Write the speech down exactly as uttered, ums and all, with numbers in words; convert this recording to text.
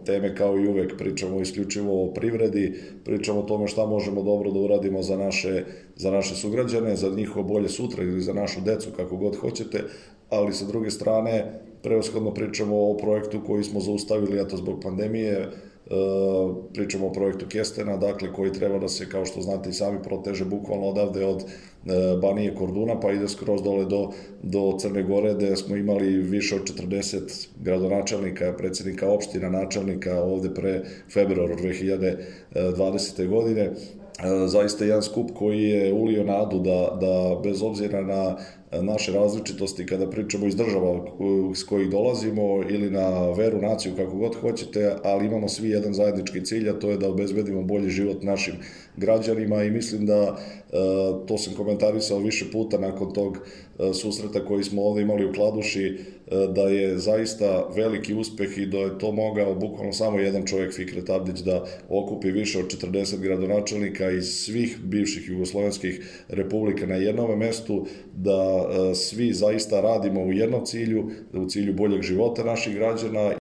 teme kao i uvek, pričamo isključivo o privredi, pričamo o tome šta možemo dobro da uradimo za naše, za naše sugrađane, za njihovo bolje sutra ili za našu decu, kako god hoćete, ali sa druge strane prevashodno pričamo o projektu koji smo zaustavili, eto, zbog pandemije. Pričamo o projektu Kestena, dakle, koji treba da se, kao što znate i sami, proteže bukvalno odavde od Banije Korduna, pa ide skroz dole do, do Crne Gore, gde smo imali više od četrdeset gradonačelnika, predsjednika opština, načelnika ovde pre februara dve hiljade dvadesete. godine. Zaista jedan skup koji je ulio nadu da, da bez obzira na naše različitosti kada pričamo iz država s kojih dolazimo ili na veru, naciju, kako god hoćete, ali imamo svi jedan zajednički cilj, a to je da obezbedimo bolji život našim građanima i mislim da, to sam komentarisao više puta nakon tog susreta koji smo ovde imali u Kladuši, da je zaista veliki uspeh i da je to mogao bukvalno samo jedan čovjek, Fikret Abdić, da okupi više od četrdeset gradonačelnika iz svih bivših jugoslovenskih republika na jednom mestu, da svi zaista radimo u jednom cilju, u cilju boljeg života naših građana.